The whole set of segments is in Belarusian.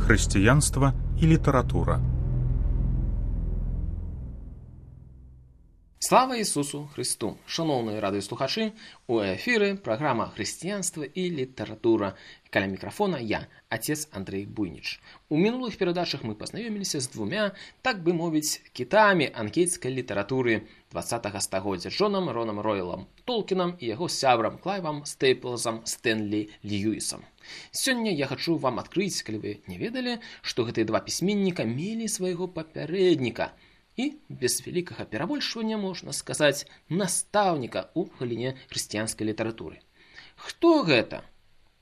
Хрысціянства і літаратура. Слава Ісусу Христу! Шановні радыёслухачы, у эфіры праграма «Хрысціянства і літаратура». Каля мікрафона я, отец Андрей Буйніч. У мінулых перадачах мы пазнаёміліся з двумя, так бы мовіць, кітамі англійскай літаратуры 20-го стагоддзя, Джонам Ронам Ройлам Толкінам і яго сябрам Клайвам Стейплзам Стэнлі Льюісам. Сёння я хачу вам адкрыць, калі вы не ведалі, што гэтыя два пісьменніка мелі свайго папярэдніка і, без вялікага перабольшвання, можна сказаць, настаўніка ў галіне хрысціянскай літаратуры. Хто гэта?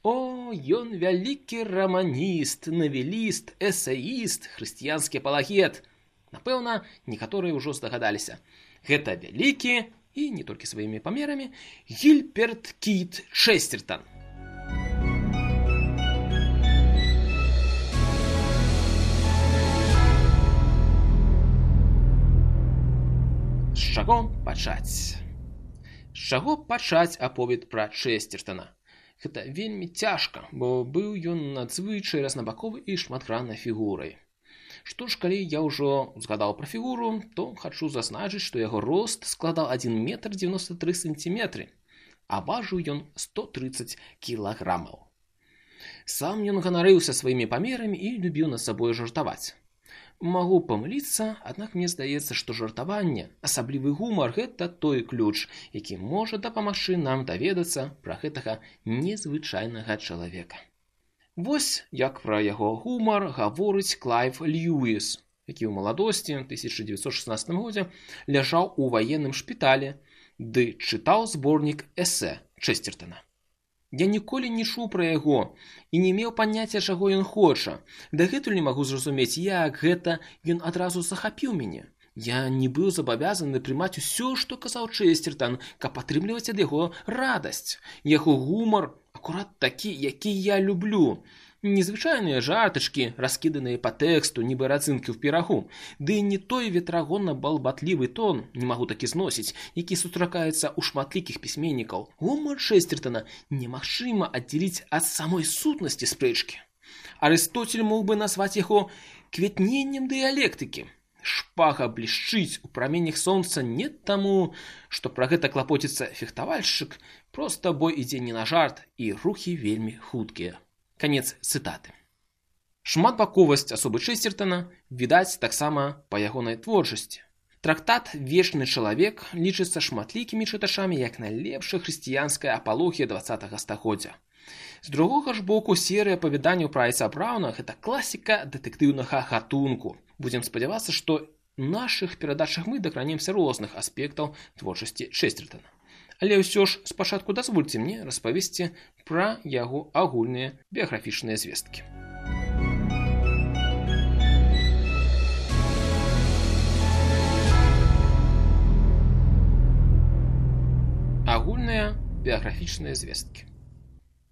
О, ён вялікі раманіст, навеліст, эсэіст, хрысціянскі апалагет. Напэўна, некаторыя ўжо здагадаліся. Гэта вялікі, і не толькі сваімі памерамі, Гільберт Кіт Чэстертан. З чаго пачаць? З чаго пачаць аповед пра Чэстертана? Гэта вельмі цяжка, бо быў ён надзвычай разнабаковы і шматграннай фігурай. Што ж, калі я ўжо згадаў пра фігуру, то хачу зазначыць, што яго рост складаў 1 метр 93 сантиметры, а важыў ён 130 кілаграмаў. Сам ён ганарыўся сваімі памерамі і любіў над сабой жартаваць. Магу памыліцца, аднак мне здаецца, што жартаванне, асаблівы гумар – гэта той ключ, які можа дапамагчы нам даведацца пра гэтага незвычайнага чалавека. Вось як пра яго гумар гаворыць Клайв Льюіс, які ў маладосці, 1916 годзе, ляжаў у ваенным шпіталі ды чытаў зборнік эсэ Чэстертана. Я ніколі не чуў пра яго і не меў паняцця, чаго ён хоча. Дагэтуль не магу зразумець, як гэта ён адразу захапіў мяне. Я не быў забавязаны прымаць усё, што казаў Чэстертан, каб атрымліваць ад яго радасць. Яго гумар акурат такі, які я люблю. Незвычайныя жартачкі, раскіданыя па тэксту, нібы радзінкі ў пірагу, ды не той ветрагонна-балбатлівы тон, не магу такі зносіць, які сустракаецца ў шматлікіх пісьменнікаў. Гумар Чэстертана немагчыма аддзяліць ад самой сутнасці спрэчкі. Арыстоцель мог бы назваць яго квітненнем дыялектыкі. Шпага блішчыць у праменнях сонца не таму, што пра гэта клапоціцца фехтавальшчык, проста бой ідзе не на жарт і рухі вельмі хуткія. Канец цытаты. Шматбаковасць асобы Чэстертана відаць таксама па ягонай творчасці. Трактат «Вечны чалавек» лічыцца шматлікімі чытачамі як найлепшая хрысціянская апалогія 20-го стагоддзя. З другога ж боку, серыя апавяданняў пра Айца Брауна – гэта класіка дэтэктыўнага гатунку. Будзем спадзявацца, што ў нашых перадачах мы дакранемся розных аспектаў творчасці Чэстертана. Але ўсё ж спачатку дазвольце мне распавесці пра яго агульныя біяграфічныя звесткі. Агульныя біяграфічныя звесткі.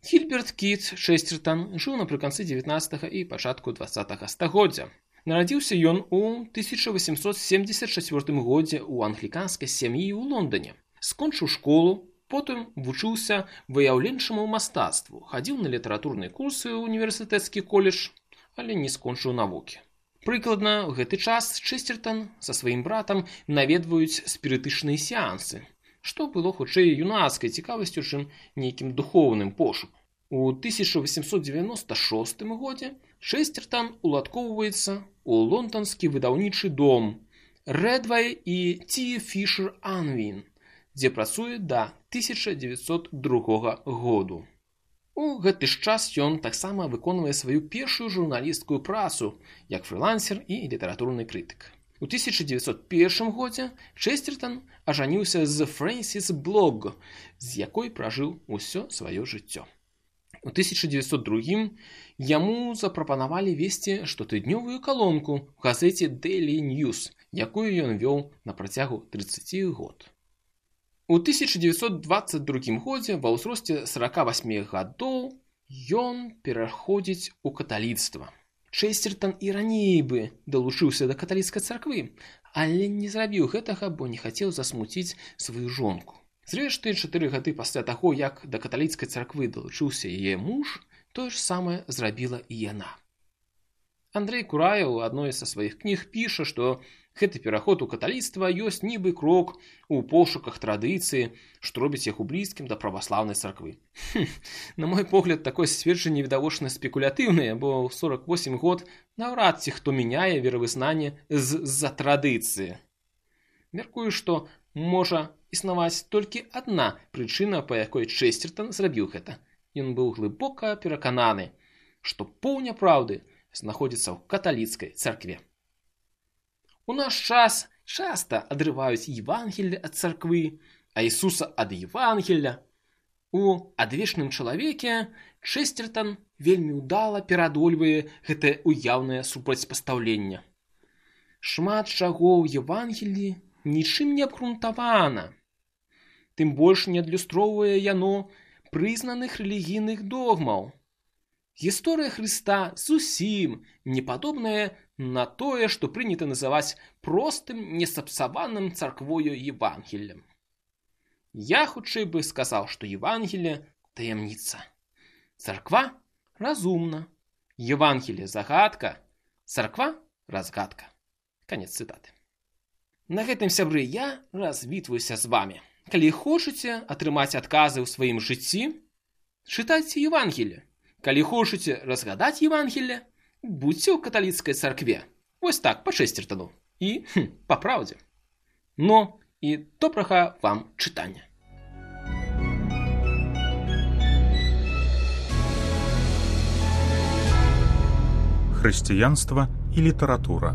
Гільберт Кіт Чэстертан жыў напрыканцы 19-го і пачатку 20-го стагоддзя. Нарадзіўся ён у 1874 годзе ў англіканскай сям'і ў Лондоне. Скончыў школу, потым вучыўся выяўленчаму мастацтву, хадзіў на літаратурныя курсы ў універсітэцкі коледж, але не скончыў навукі. Прыкладна ў гэты час Чэстертан са сваім братам наведваюць спірытычныя сеансы, што было хутчэй юнацкай цікавасцю, чым нейкім духоўным пошукам. У 1896 годзе Чэстертан уладкоўваецца ў лонданскі выдаўнічы дом Рэдвай і Ті Фішер Анвін, дзе працуе да 1902 году. У гэты ж час ён таксама выконвае сваю першую журналісцкую працу як фрылансер і літаратурны крытык. У 1901 годзе Чэстертан ажаніўся з Фрэнсіс Блогг, з якой пражыў усё сваё жыццё. У 1902 яму запрапанавалі весці штотыднёвую калонку ў газеце Daily News, якую ён вёў на працягу 30 год. У 1922 годзе ва ўзросце 48 гадоў ён пераходзіць у каталіцтва. Чэстертан і раней бы далучыўся да каталіцкай царквы, але не зрабіў гэтага, бо не хацеў засмуціць сваю жонку. Зрэшты, 4 гады пасля таго, як да каталіцкай царквы далучыўся яе муж, тое ж самае зрабіла і яна. Андрей Кураев у адной са сваіх кніг піша, што гэты пераход у каталіцтва ёсць нібы крок у пошуках традыцыі, што робіць яго блізкім да праваслаўнай царквы. На мой погляд, такое сцверджанне відавочна спекулятыўнае, бо ў 48 год наўрад ці хто мяняе веравызнанне з-за традыцыі. Мяркую, што можа існаваць толькі адна прычына, па якой Чэсцертан зрабіў гэта. Ён быў глыбока перакананы, што поўня праўды знаходзіцца ў каталіцкай царкве. У наш час часта адрываюць Евангелле ад царквы, а Ісуса ад Евангелля. У адвечным чалавеке Чэсцертан вельмі ўдала пераадольвае гэтае уяўнае супрацьпастаўленне. Шмат чаго ў Евангеллі нічым не абгрунтавана. Тым больш не адлюстроўвае яно прызнаных рэлігійных догмаў. Гісторыя Хрыста зусім не падобная на тое, што прынята называць простым, несапсаваным царквою Евангеллем. Я хутчэй бы сказаў, што Евангелле – таямніца. Царква – разумна. Евангелле – загадка. Царква – разгадка. Канец цытаты. На гэтым, сябры, я развітваюся з вамі. Калі хочаце атрымаць адказы ў сваім жыцці, чытайце Евангелле. Калі хочаце разгадаць Евангелле, будьце ў каталіцкай царкве. Вось так, па Чэсцертану. І па праўдзе. Ну, і добрага вам чытання. Хрысціянства і літаратура.